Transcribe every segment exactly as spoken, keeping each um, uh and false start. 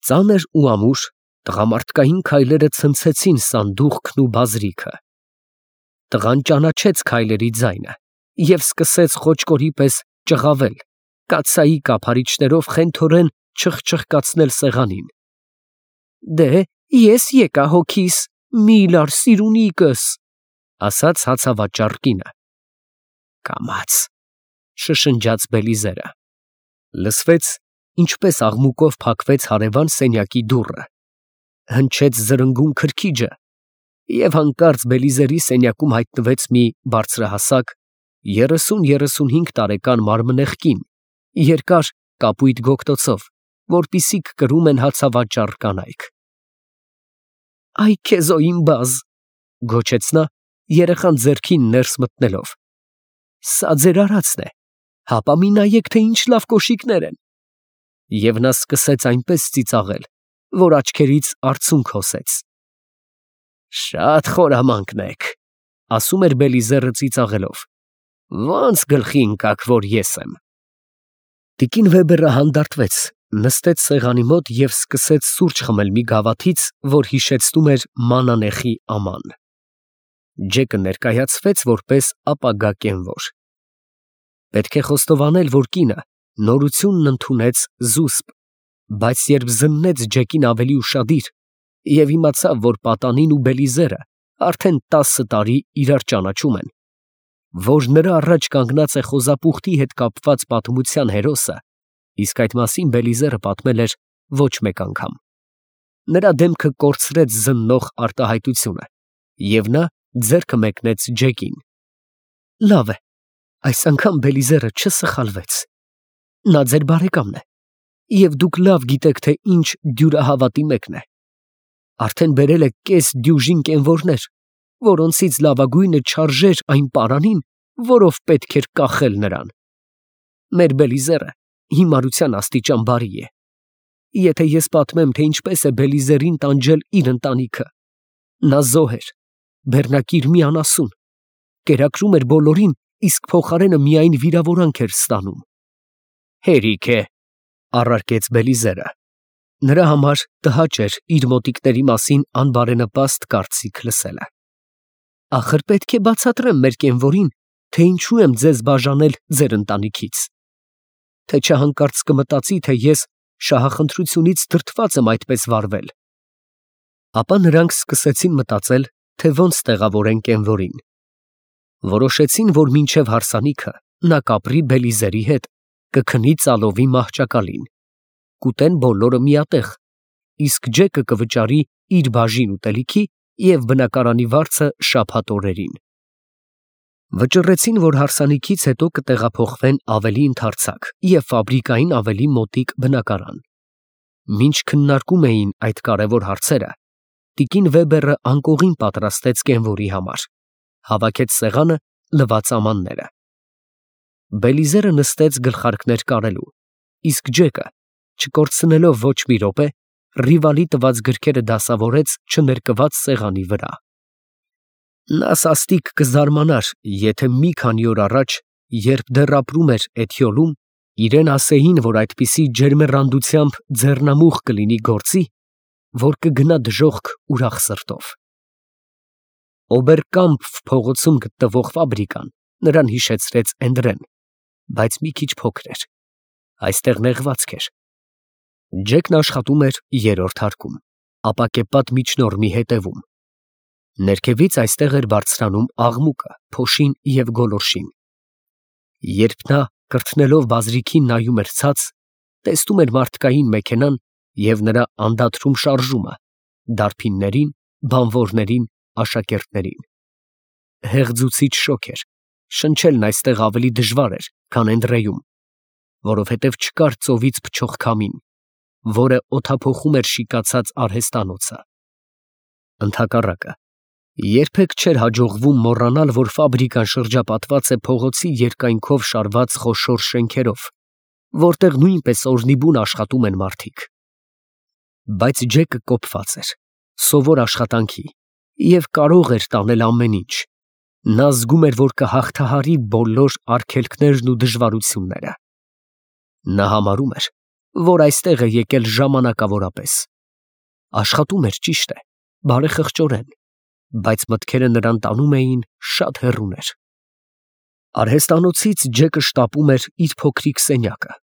Ծանր ու ամուր տղամարդկային քայլերը ցնցեցին սանդուղքն ու բազրիքը։ Տղան ճանաչեց քայլերի ձայնը և սկսեց խոճկորի պես ճղավել, կաթսայի կափարիչներով խենթորեն չխչխկացնել սեղանին։ «Դե, ես եկա հոգիս, մի լար սիրունիկս», ասաց հացավաճառ կինը։ «Կամաց», շշնջաց Բելիզերը։ Լսվեց, ինչպես աղմուկով փակվեց հարևան սենյակի դուռը, հնչեց զրնգուն քրքիջը, և հանկարծ Բելիզերի սենյակում հայտնվեց մի բարձրահասակ, երեսուն֊երեսունհինգ տարեկան մարմնեղ կին, երկար կապույտ գոգտոցով, որպիսիք կրում են հացավաճառ կանայք։ «Այ քեզո իմ բազ», գոչեց նա, երեխան ձեռքին ներս մտնելով։ «Սա ձեր արածն է, հապա մի նայեք, թե ինչ լավ կոշիկներ են»։ Եվ նա սկսեց այնպես ծիծաղել, որ աչքերից արցունք հոսեց։ «Շատ խորամանկ եք», ասում էր Բելիզերը ծիծաղելով։ «Ո՞նց գլխի ընկաք, որ ես եմ»։ Տիկին Վեբերը հանդարտվեց, նստեց սեղանի մոտ և սկսեց սուրճ խմել մի գավաթից, որ հիշեցնում էր մանանեխի աման։ Ջեկը ներկայացվեց որպես ապագա կենվոր։ Պետք է խոստովանել, որ կինը նորությունն ընդունեց զուսպ, բայց երբ զննեց Ջեկին ավելի ուշադիր և իմացավ, որ պատանին ու Բելիզերը արդեն տասը տարի իրար ճանաչում են, որ նրա առաջ կանգնած է խոզապուխտի հետ կապված պատմության հերոսը, իսկ այդ մասին Բելիզերը պատմել էր ոչ մեկ անգամ, նրա դեմքը կորցրեց զննող արտահայտությունը, և նա ձեռքը մեկնեց Ջեկին։ «Լավ է, այս անգամ Բելիզերը չսխալվեց։ Նա ձեր բարեկամն է, և դուք լավ գիտեք, թե ինչ դյուրահավատի մեկն է։ Արդեն բերել է կես դյուժին կենվորներ, որոնցից լավագույնը չարժեր այն պարանին, որով պետք էր կախել նրան։ Մեր Բելիզերը հիմարության աստիճան բարի է։ Եթե ես պատմեմ, թե ինչպես է Բելիզերին տանջել իր ընտանիքը, նա զոհ էր, բեռնակիր մի անասուն, կերակրում էր բոլորին, իսկ փոխարենը միայն վիրավորանք էր ստանում»։ «Հերիք է», առարկեց Բելիզերը։ Նրա համար տհաճ էր իր մոտիկների մասին անբարենպաստ կարծիք լսելը։ «Ախր պետք է բացատրեմ մեր կենվորին, թե ինչու եմ ձեզ բաժանել ձեր ընտանիքից, թե չհանկարծ կմտածի, թե ես շահախնդրությունից դրդված եմ այդպես վարվել»։ Ապա նրանք սկսեցին մտածել, թե ոնց տեղավորեն կենվորին։ Որոշեցին, որ մինչև հարսանիքը նա կապրի Բելիզերի հետ, կքնի ծալովի մահճակալին, կուտեն բոլորը միատեղ, իսկ Ջեկը կվճարի իր բաժին ուտելիքի և բնակարանի վարձը շաբաթ օրերին։ Վճռեցին, որ հարսանիքից հետո կտեղափոխվեն ավելի ընդարձակ և ֆաբրիկային ավելի մոտիկ բնակարան։ Մինչ քննարկում էին այդ կարևոր հարցերը, տիկին Վեբերը անկողին պատրաստեց կենվորի համար, հավաքեց սեղանը, լվաց ամանները։ Բելիզերը նստեց գլխարկներ կարելու, իսկ Ջեկը, չկորցնելով ոչ մի րոպե, Ռիվալի տված գրքերը դասավորեց չներկված սեղանի վրա։ Նա սաստիկ կզարմանար, եթե մի քանի օր առաջ, երբ դեռ ապրում էր Էթիոլում, իրեն ասեին, որ այդպիսի ջերմեռանդությամբ ձեռնամուխ կլինի գործի, որ կգնա դժոխք ուրախ սրտով։ Օբերկամփ փողոցում գտնվող ֆաբրիկան նրան հիշեցրեց Էնդրեն, բայց մի քիչ փոքր էր, այստեղ նեղվածք էր։ Ջեկն աշխատում էր երրորդ հարկում, ապակեպատ միջնորմի հետևում։ Ներքևից այստեղ էր բարձրանում աղմուկը, փոշին և գոլորշին։ Երբ նա կրթնելով բազրիքին նայում էր ցած, տեսնում էր մարդկային մեքենան և նրա անդադրում շարժումը, դարբիններին, բանվորներին, աշակերտներին։ Հեղձուցիչ շոգ էր, շնչելն այստեղ ավելի դժվար էր, քան Էնդրեյում, որովհետև չկար ծովից փչող քամին, որը օդափոխում էր շիկացած արհեստանոցը։ Ընդհակառակը, երբեք չէր հաջողվում մոռանալ, որ ֆաբրիկան շրջապատված է փողոցի երկայնքով շարված խոշոր շենքերով, որտեղ նույնպես օրհնիբուն աշխատում են մարդիկ։ Բայց Ջեկը կոփված էր, սովոր աշխատանքի և կարող էր տանել ամեն ինչ։ Նա զգում էր, որ կհաղթահարի բոլոր արգելքներն ու դժվարությունները։ Նա համարում էր, որ այստեղ է եկել ժամանակավորապես։ Աշխատում էր, ճիշտ է, բարեխղճորեն, բայց մտքերը նրան տանում էին շատ հեռուներ։ Արհեստանոցից Ջեկը շտապում էր իր փոքրիկ սենյակը։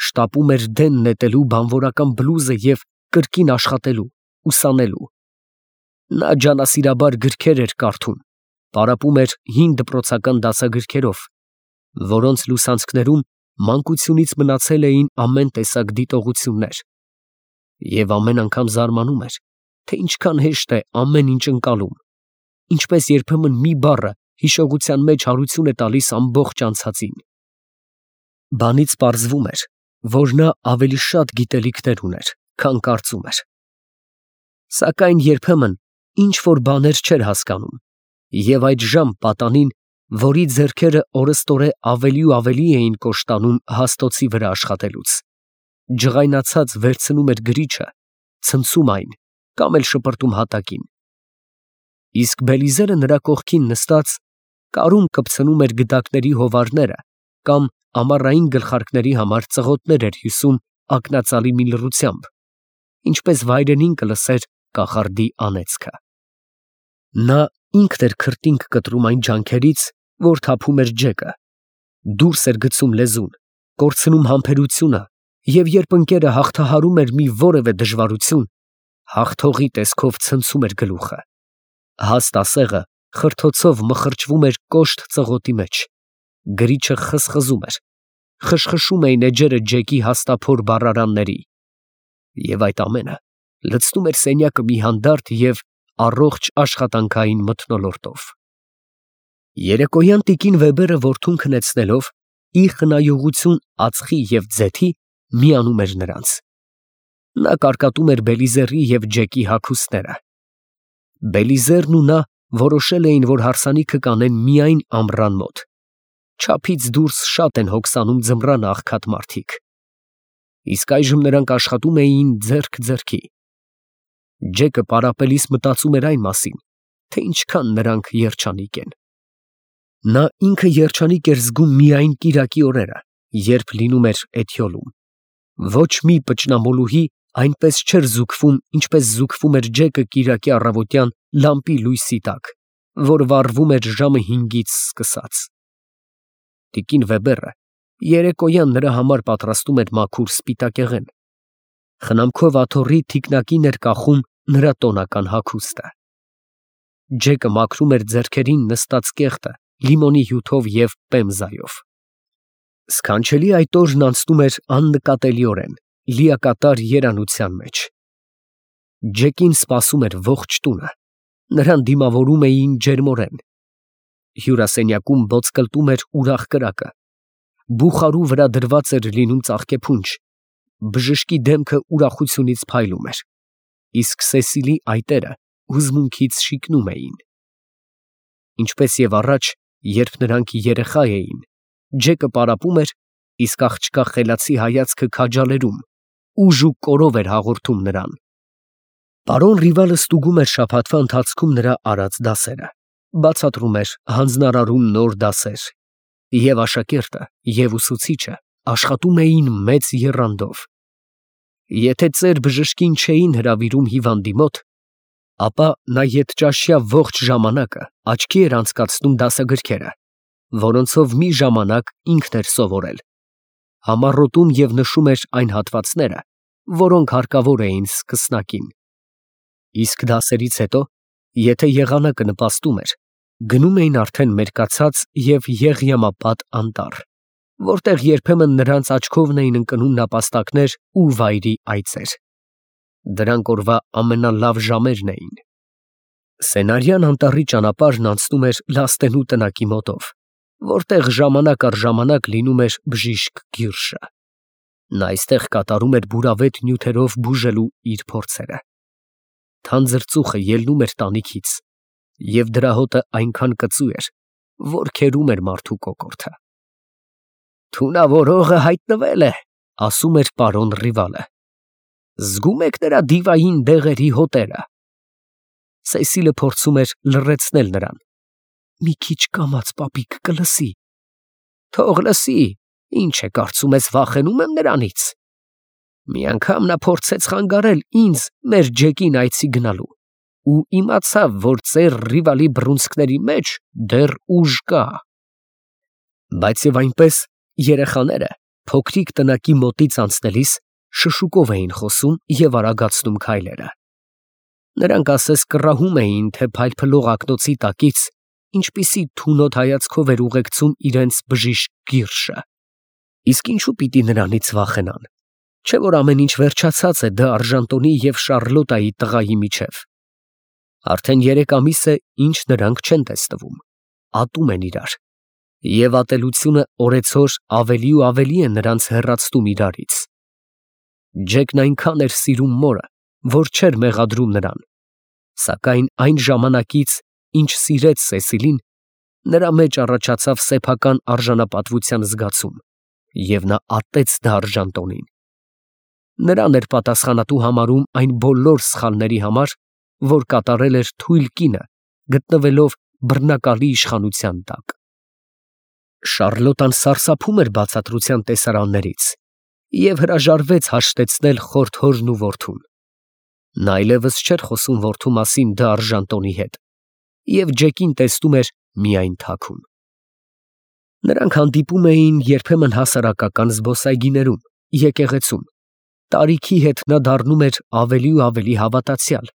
Շտապում էր դեն նետելու բանվորական բլուզը և կրկին աշխատելու, ուսանելու։ Նա ջանասիրաբար գրքեր էր կարդում, պարապում էր հին դպրոցական դասագրքերով, որոնց լուսանցքներում մանկությունից մնացել էին ամեն տեսակ դիտողություններ, և ամեն անգամ զարմանում էր, թե ինչքան հեշտ է ամեն ինչ ընկալում, ինչպես երբեմն մի բառը հիշողության մեջ հարություն է տալիս ամբողջ անցածին։ Բանից պարզվում էր, որ նա ավելի շատ գիտելիքներ ուներ, քան կարծում էր։ Սակայն երբեմն ինչ-որ բաներ չէր հասկանում, և այդժամ պատանին, որի ձեռքերը օրըստօրե ավելի ու ավելի էին կոշտանում հաստոցի վրա աշխատելուց, ջղայնացած վերցնում էր գրիչը, ցնցում այն կամ էլ շպրտում հատակին։ Իսկ Բելիզերը նրա կողքին նստած կարում կպցնում էր գդակների հովարները կամ ամառային գլխարկների համար ծղոտներ էր հյուսում ակնածալի մի լռությամբ, ինչպես վայրենին կլսեր կախարդի անեծքը։ Նա ինքն էր քրտինք կտրում այն ջանքերից, որ թափում էր Ջեկը, դուրս էր գցում լեզուն, կորցնում համբերությունը, և երբ ընկերը հաղթահարում էր մի որևէ դժվարություն, հաղթողի տեսքով ցնցում էր գլուխը։ Հաստ ասեղը խրթոցով մխրճվում էր կոշտ ծղոտի մեջ, գրիչը խզխզում էր, խշխշում էին էջերը Ջեկի հաստափոր բառարանների, և այդ ամենը լցնում էր սենյակը մի հանդարտ և առողջ աշխատանքային մթնոլորտով։ Երեկոյան տիկին Վեբերը որդուն քնեցնելով, իր խնայողություն ածխի և ձեթի միանում էր նրանց։ Նա կարկատում էր Բելիզերի և Ջեկի հագուստները։ Բելիզերն ու նա որոշել էին, որ հարսանիքը կանեն միայն ամռան մոտ։ Չափից դուրս շատ են հոգսանում ձմռանը աղքատ մարդիկ։ Իսկ այժմ նրանք աշխատում էին ձեռք ձեռքի։ Ջեկը պարապելիս մտածում էր այն մասին, թե ինչքան նրանք երջանիկ են։ Նա ինքը երջանիկ էր զգում միայն կիրակի օրերը, երբ լինում էր Էթյոլում։ Ոչ մի պճնամոլուհի այնպես չէր զուգվում, ինչպես զուգվում էր Ջեկը կիրակի առավոտյան լամպի լույսի տակ, որ վառվում էր ժամը հինգից սկսած։ Տիկին Վեբերը երեկոյան նրա համար պատրաստում էր մաքուր սպիտակեղեն։ Խնամքով աթոռի թիկնակին էր կախում նրա տոնական հագուստը։ Ջեկը մաքրում էր ձեռքերին նստած կեղտը լիմոնի հյութով և պեմզայով։ Սքանչելի այդ օրն անցնում էր աննկատելիորեն, լիակատար երանության մեջ։ Ջեկին սպասում էր ողջ տունը, նրան դիմավորում էին ջերմորեն։ Հյուրասենյակում ոտսկլտում էր ուրախ կրակը, բուխարու վրա դրված էր լինում ծաղկեփունջ, բժշկի դեմքը ուրախությունից փայլում էր, իսկ Սեսիլի այտերը հուզմունքից շիկնում էին։ Ինչպես և առաջ, երբ նրանք երեխա էին, Ջեկը պարապում էր, իսկ աղջկա խելացի հայացքը քաջալերում, ուժ ու կորով էր հաղորդում նրան։ Պարոն Ռիվալը ստուգում էր շաբաթվա ընթացքում նրա արած դասերը, բացատրում էր, հանձնարարում նոր դասեր, և աշակերտը, և ուսուցիչը աշխատում էին մեծ եռանդով։ Եթե ծեր բժշկին չէին հրավիրում հիվանդի մոտ, ապա նա ետճաշյա ողջ ժամանակը աչքի էր անցկացնում դասագրքերը, որոնցով մի ժամանակ ինքն էր սովորել, համառոտում և նշում էր այն հատվածները, որոնք հարկավոր էին սկսնակին։ Իսկ դասերից հետո, եթե եղանակը նպաստում էր, գնում էին արդեն մերկացած և եղյամապատ անտառ, որտեղ երբեմն նրանց աչքովն էին ընկնում նապաստակներ ու վայրի այծեր։ Դրանք օրվա ամենալավ ժամերն էին։ Սենարյան անտառի ճանապարհն անցնում էր Լաստենու տնակի մոտով, որտեղ ժամանակ առ ժամանակ լինում էր բժիշկ Գիրշը։ Նա այստեղ կատարում էր բուրավետ նյութերով բուժելու իր փորձերը։ Թանձր ծուխը ելնում էր տանիքից, և դրա հոտը այնքան կծու էր, որ քերում էր մարդու կոկորդը։ «Թունավորողը հայտնվել է», ֊ ասում էր պարոն Ռիվալը։ «Զգում եք նրա դիվային դեղերի հոտերը»։ Սեսիլը փորձում էր լռեցնել նրան։ «Մի քիչ կամաց, պապիկ, կլսի»։ «Թող լսի, ինչ է կարծում ես, վախենում եմ նրանից»։ Մի անգամ նա փորձեց խանգարել ինձ մեր Ջեկին այցի գնալու ու իմացավ, որ ծեր Ռիվալի բռունցքների մեջ դեռ ուժ կա։ Բայց եւ այնպես երեխաները փոքրիկ տնակի մոտից անցնելիս շշուկով էին խոսում եւ արագացնում քայլերը։ Նրանք ասես կռահում էին, թե փայլփլող ակնոցի տակից ինչպիսի թունոտ հայացքով էր ուղեկցում իրենց բժիշկ Գիրշը։ Իսկ ինչու պիտի նրանից վախենան, չէ՞ որ ամեն ինչ վերջացած է Դ. Արժանտոնի և Շառլոտայի տղայի միջև։ Արդեն երեք ամիս է, ինչ նրանք չեն տեսնվում, ատում են իրար, և ատելությունը օրեցօր ավելի ու ավելի է նրանց հեռացնում իրարից։ Ջեկն այնքան էր սիրում մորը, որ չէր մեղադրում նրան, սակայն այն ժամանակից, ինչ սիրեց Սեսիլին, նրա մեջ առաջացավ սեփական արժանապատվության զգացում, և նա ատեց Դ. Արժանտոնին։ Նրան էր պատասխանատու համարում այն բոլոր սխալների համար, որ կատարել էր թույլ կինը, գտնվելով բռնակալի իշխանության տակ։ Շառլոտան սարսափում էր բացատրության տեսարաններից և հրաժարվեց հաշտեցնել խորթ հորն ու որդուն։ Նա այլևս չէր խոսում որդու մասին Դ. Արժանտոնի հետ և Ջեկին տեսնում էր միայն թաքուն։ Նրանք հանդիպում էին երբեմն հասարակական զբոսայգիներում, եկեղեցում։ Տարիքի հետ նա դառնում էր ավելի ու ավելի հավատացյալ,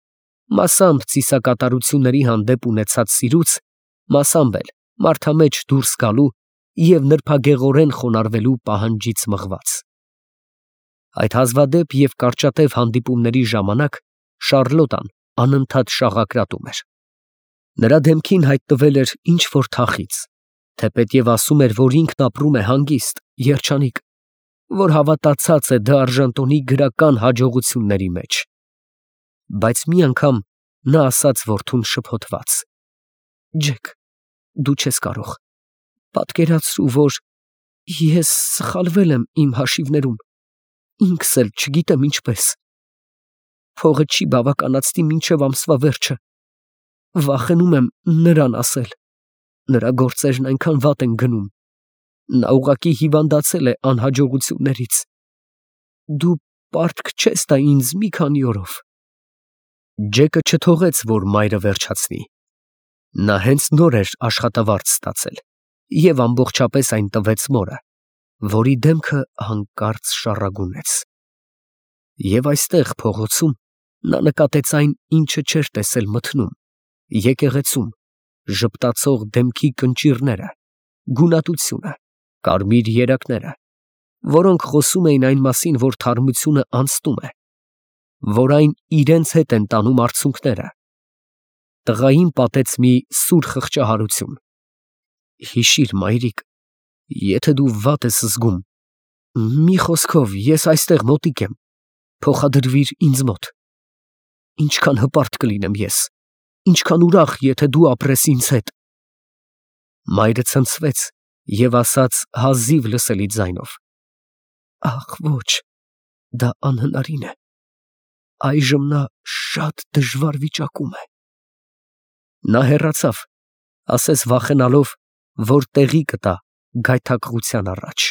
մասամբ ծիսակատարությունների հանդեպ ունեցած սիրուց, մասամբ էլ մարդամեջ դուրս գալու և նրբագեղորեն խոնարհվելու պահանջից մղված։ Այդ հազվադեպ և կարճատև հանդիպումների ժամանակ Շառլոտան անընդհատ շաղակրատում էր։ Նրա դեմքին հայտնվել էր ինչ֊որ թախիծ, թեպետև ասում էր, որ ինքն ապրում է հանգիստ, երջանիկ, որ հավատացած է Դ. Արժանտոնի գրական հաջողությունների մեջ։ Բայց մի անգամ նա ասաց որդուն շփոթված. «Ջեք, դու չես կարող, պատկերացրու, որ ես սխալվել եմ իմ հաշիվներում, ինքս էլ չգիտեմ ինչպես։ Փողը չի բավականացնի մինչև ամսվա վերջը, վախենում եմ նրան ասել, նրա գործերն այնքան վատ են գնում, նա ուղղակի հիվանդացել է անհաջողություններից։ Դու պարտք չես տա ինձ մի քանի օրով»։ Ջեկը չթողեց, որ մայրը վերջացնի։ Նա հենց նոր էր աշխատավարձ ստացել և ամբողջապես այն տվեց մորը, որի դեմքը հանկարծ շառագունեց։ Եվ այստեղ փողոցում նա նկատեց այն, ինչը չէր տեսել մթնում, եկեղեցում, ժպտացող դեմքի կնճիռները, գունատությունը, կարմիր երակները, որոնք խոսում էին այն մասին, որ թարմությունը անցնում է, որ այն իրենց հետ են տանում արցունքները։ Տղային պատեց մի սուր խղճահարություն։ «Հիշիր, մայրիկ, եթե դու վատ ես զգում, մի խոսքով, ես այստեղ մոտիկ եմ, փոխադրվիր ինձ մոտ։ Ինչքան հպարտ կլինեմ ես, ինչքան ուրախ, եթե դու ապրես ինձ հետ»։ Մայրը ցնցվեց և ասաց հազիվ լսելի ձայնով. «Ախ, ոչ, դա անհնարին է, այժմ նա շատ դժվար վիճակում է»։ Նա հեռացավ, ասես վախենալով, որ տեղի կտա գայթակղության առաջ։